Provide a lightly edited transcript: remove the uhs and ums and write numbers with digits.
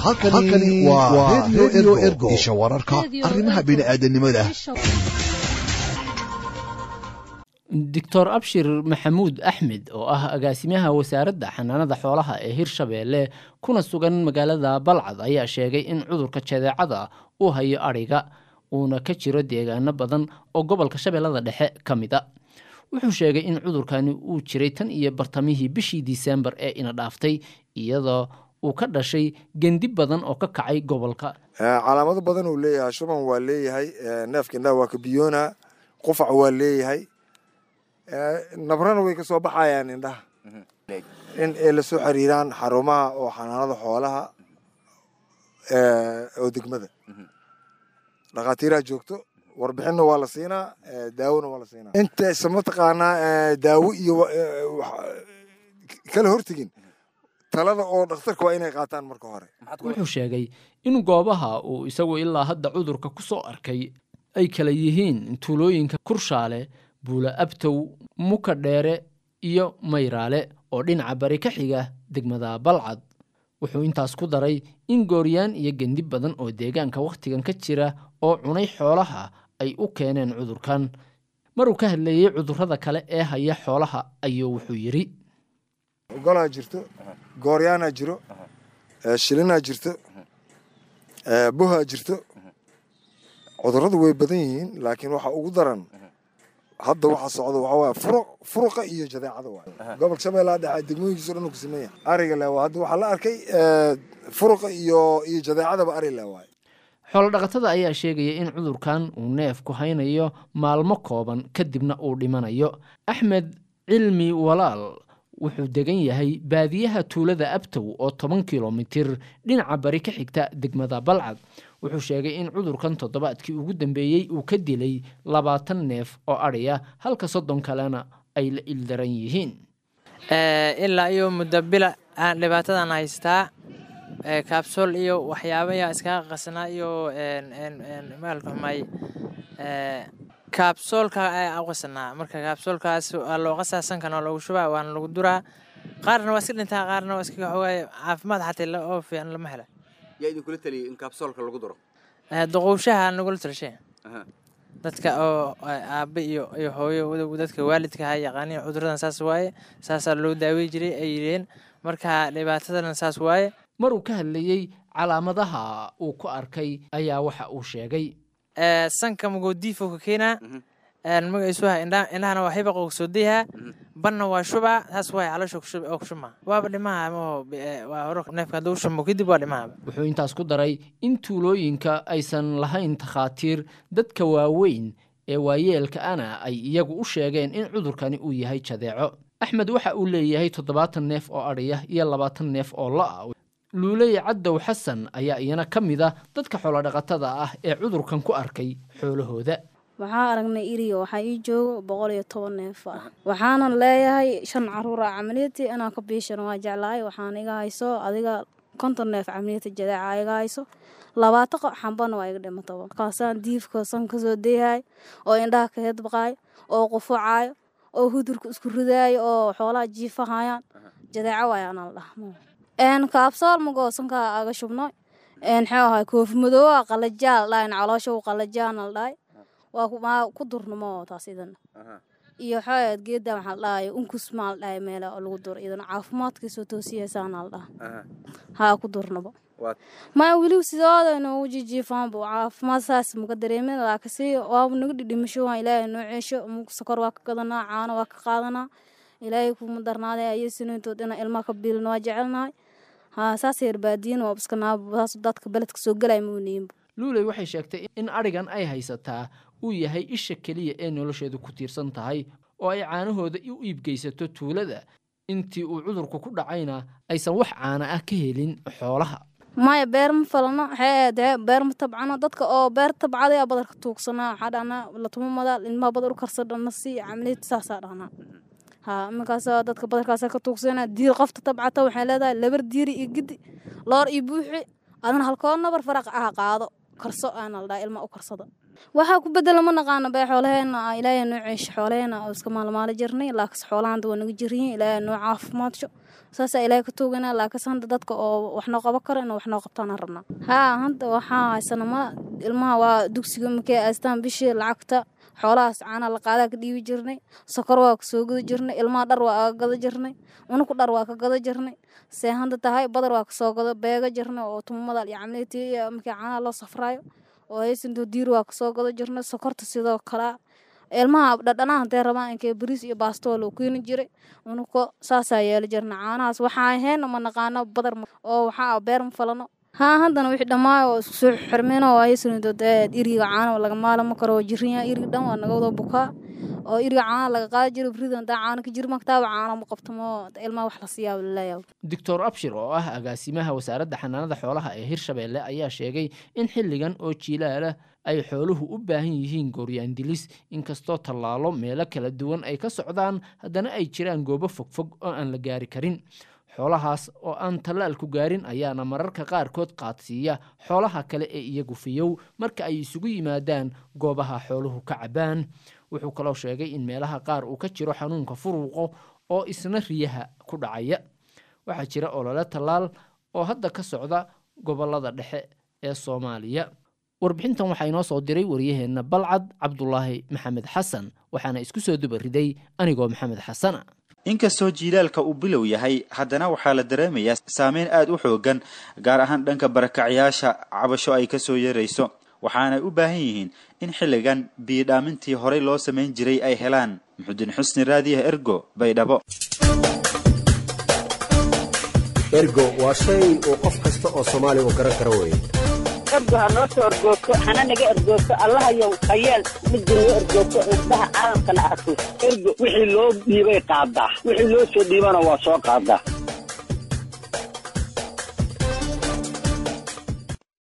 Halkani waa Radio Ergo, isha wararka arrimaha bini'aadanimada. Doctor Abshir Maxamuud Axmed, oo ah agaasimaha Wasaaradda Xanaanada Xoolaha ee Hirshabeelle kuna sugan magaalada Balcad, ayaa sheegay in cudurka jadeecada uu hayo adhiga, uuna ka jiro deegaano badan oo gobolka Shabeellada Dhexe ka mid a. Wuxuu sheegay in cudurkani uu jiray tan iyo bartamihii bishii Disembar ee ina dhaaftay, iyadoo uu ka dhashay gendi badan oo ka kacay gobolka. Calaamado badan uu leeyahay. Shuban waa leeyahay, neefka indhaha waa ka biyoona, qufac waa leeyahay, nabrana way ka soo baxayaan indhaha. In ay lasoo xiriiraan xarumaha oo xanaanada xoolaha oo degmada, dhakhaatiiraha joogto, warbixinna waa la siinaa, daawona waa la siinaa. Intaysa mataqaanaa daawo iyo kala hortegin, talada oo dhakhtarka waa inay qaataan marka hore. Wuxuu sheegay in goobaha uu isagu ilaa hadda cudurka ku soo arkay ay kala yihiin tuulooyinka Kurshaale, Buula Abtow, Muka Dheere iyo Mayraale oo dhinaca bari ka xiga degmada Balcad. Wuxuu intaas ku daray in gooryaan iyo gendi badan oo deegaanka wakhtigan ka jira oo cunay xoolaha ay u keeneen cudurkan. Maruu ka hadlayey cudurrada kale ee haya xoolaha ayuu wuxuu yidhi: Golaa jirto, gooryaanaa jiro, shilinaa jirto, buhaa jirto. Cudurradu way badan yihiin, laakiin waxa ugu daran hadda waxa socda waxaa waaye furuq, furuqa iyo jadeecada waay. Gobolka Shabeellaha Dhexe degmooyinkiisa o dhan uu ku siman yahay. Ariga le hadda waxaa la arkay furuqa iyo jadeecadaba ari le waay. Xoolodhaqatada ayaa sheegaya in cudurkan uu neefku haynayo maalmo kooban, kadibna uu dhimanayo. Axmed Cilmi Walaal wuxuu degan yahay baadiyaha tuulada Abtow oo 10 kilomitir dhinaca bari ka xigta degmada Balcad. Wuxuu sheegay in cudurkan toddobaadkii ugu dambeeyey uu ka dilay 20 neef oo adhiya, halka 30 kalena ay la ildaran yihiin. Ilaa iyo muddo bila aan dhibaatadan haystaa, kaabsool iyo waxyaaba ayaa iskaga qasanaa iyo maalka xumay kaabsoolka ayaa u qasanaa. Marka kaabsoolkaas waa loo qasaa, sankana waa loogu shubaa, waana lagu duraa. Qaarna waa iska dhintaa, qaarna waa iska xogaay, caafimaad xataa oo fiican lama hela. Yaa idinkula taliyay in kaabsoolka lagu duro? Duqowshaha nagula talishay, dadka oo aabe iyo hooyo, dadka waalidka ha yaqaaniin cuduradan saas waaye, saasaa loo daawey jiray ay yidheen. Marka dhibaatadana saas waaye. Maruu ka hadlayey calaamadaha uu ku arkay ayaa waxa uu sheegay: Sanka magoodiifo ka keenaa, magaciisu waha indhahana waa hibaq oo soo dayhaa, banna waa shubaa, saas waay caloosha oo kushubmaa, waaba dhimaha maho, waa hore neefka hadduu shumo kadib waa dhimaha. Wuxuu intaas ku daray in tuulooyinka aysan lahayn takhaatiir, dadka waaweyn ee waayeelka ana ay iyagu u sheegeen in cudurkani uu yahay jadeeco. Axmed waxa uu leeyahay 70 neef oo adhiya iyo 20 neef oo lo-a. Luuley Cadow Xasan ayaa iyana ka mid a dadka xoolodhaqatada ah ee cudurkan ku arkay xoolahooda. Waxaa aragnay iriga, waxaa ii joogo 110 neef ah, waxaanan leeyahay shan caruur ah. Camaliyadii inaan ka biishana waa jeclahay. Waxaan iga hayso adiga 50 neef camaliyada jadeeca iga hayso, 20 xambana waa iga dhimataba. Markaasaan diifka san kasoo dayhay oo indhaha ka hedbaqaayo oo qufucaayo oo hudurka isku ridaayo oo xoolaha jiifahayaan, jadeeco waay anaa la dhaha. Kaabsool magoosanka aga shubno, xee ahay koofi madoowa qalajaa la dhahay, caloosha u qalajaana la dhahay, waa ku durnamo taas idan iyo xooyaad geeda waxaa la dhahay unkus maa la dhahay, meela lagu duro idan caafimaadkiisoo toosiyaysaana la dhaha, haa ku durnabo. Maya, weli sidooda inoogu jijiifaanbu caafimaad saas maka dareemin, laakiinse waaba naga dhidhimasho. Waan Ilaahay noo ceesho, sokor waa ka gadanaa, caano waa ka qaadanaa, Ilaahay kuma darnaaday ayaysinintood inaan ilmaha ka biilno waa jecelnahay. Haa, saas yar baadiyin waa iska naab, saas dadka beledka soo galay muuniinba. Luuley waxay sheegtay in adhigan ay haysataa uu yahay isha keliya ee nolosheedu ku tiirsan tahay oo ay caanahooda u iibgeysato tuulada, intii uu cudurku ku dhacayna aysan wax caana ah ka helin xoolaha. Maya, beer ma falano, waxay beer ma tabcano. Dadka oo beer tabcaday aa badarka tuugsanaa, waxaa dhahnaa latuma madaal ilmaha badar u karsadhana si camaliyad saasaa dhahnaa. Haa, iminkaas dadka badarkaasa ka tuugsana. Diir qofta tabcata waxay leedahay labar diiri iyo gidi loor iyo buuxi, adana halkoo nabar faraq ah qaado, karso aana la dhaha, ilma u karsada. Waxaa ku bedela ma naqaano bee xoolaheena, Ilaahay noo ceesho xoolaheena oo iska maalmaali jirnay, laakiin xoolahan waa naga jiryihiin. Ilaahay noo caafimaadso, saasaa Ilaahay ka tuuganaa. Laakiin hadda dadka oo wax noo qaban karo inuu wax noo qabtaan aan rabnaa. Haa, hadda waxaa haysana ma ilmaha waa dugsiga markay aastaan bishii lacagta xoolahaas caana la qaadaa ka dhiibi jirnay, sokor waa ka soo gada jirnay, ilmaha dhar waa aga gada jirnay, unuku dhar waa ka gada jirnay. See hadda tahay badar waa kasoo gada beega jirnay oo tumamada iyo camleetii iyo markii caanaha loo safraayo oo haysanto diir waa kasoo gada jirnay. Sokorta sidoo kale ilmaha dhadhanaha hadday rabaan inkee bariis iyo baasto waa loo keeni jiray, unuko saasaa yeeli jirnay. Caanahaas waxaa ahayn ma naqaano, badar oo waxaa beer ma falano. Haa, haddana wixii dhammaay oo isku soo xirmeen oo haysanto dee iriga caana laga maalamo karo oo jirinyaa iriga dhan waa naga wada bukaa oo iriga caana laga qaadi jiray beriida hadaa caana ka jiri maktaaba caana ma qabtamo ilmaha wax la siiyaa laleeyahay. Doctor Abshir oo ah agaasimaha wasaaradda xanaanada xoolaha ee Hirshabeelle ayaa sheegay in xilligan oo jiilaalah ay xooluhu u baahan yihiin gooryaandilis, inkastoo tallaalo meelo kala duwan ay ka socdaan, haddana ay jiraan goobo fogfog oo aan la gaari karin. Xoolahaas oo aan tallaalku gaarin ayaana mararka qaarkood qaadsiiya xoolaha kale ee iyagu fiyow marka ay isugu yimaadaan goobaha xooluhu ka cabaan. Wuxuu kaloo sheegay in meelaha qaar uu ka jiro xanuunka furuuqo oo isna riyaha ku dhacaya. Waxaa jira olole tallaal oo hadda ka socda gobollada dhexe ee Soomaaliya. Warbixintan waxaa inoo soo diray waryaheenna Balcad Cabdulaahi Maxamed Xasan, waxaana isku soo duba riday anigoo Maxamed Xasana. Inkastoo jiilaalka uu bilow yahay, haddana waxaa la dareemayaa saameyn aada u xoogan, gaar ahaan dhanka barakacyaasha cabasho ay kasoo yeerayso, waxaanay u baahan yihiin in xilligan biyodhaamintii horey loo samayn jiray ay helaan. Muxudiin Xusni, Raadiyaha Ergo, Baydhabo. Ergo waa shay uu qof kasta oo Soomaaliya uu garan karo weeye. Ergo ha noo soo ergoogto, hana naga ergoogto, Allahayow hayeel, midda noo ergoogto, indhaha caalamkana arko. Ergo wixii loo dhiibay qaadaa, wixii loo soo dhiibana waa soo qaadaa.